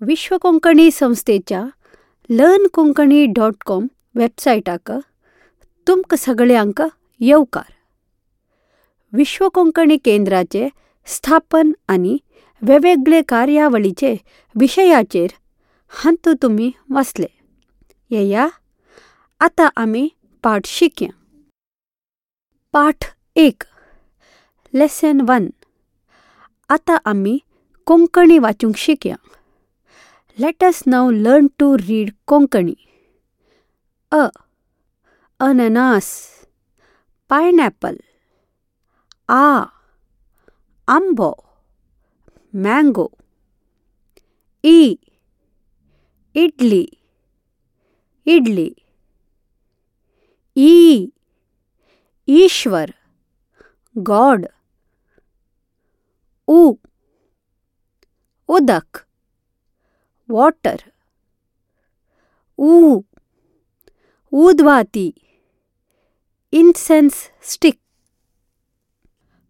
विश्व कोंकणी संस्थेच्या learn Konkani dot com वेबसायटाक तुमकां सगळ्यांक येवकार. विश्व कोंकणी केंद्राचे स्थापन आनी वेगवेगळे कार्यावळीचे विशयाचेर हातूंत तुमी वाचले. येया, आतां आमी पाठ शिकया. पाठ 1, लेसन 1. आतां आमी कोंकणी वाचूंक शिकया. Let us now learn to read Konkani. अ, अननास, पायनॅपल. आ, आंबो, मँगो. ई, इडली, इडली. ई, ईश्वर, गॉड. उ, उदक, वॉटर. ऊ, ऊदवाती, इन्सेन्स स्टिक.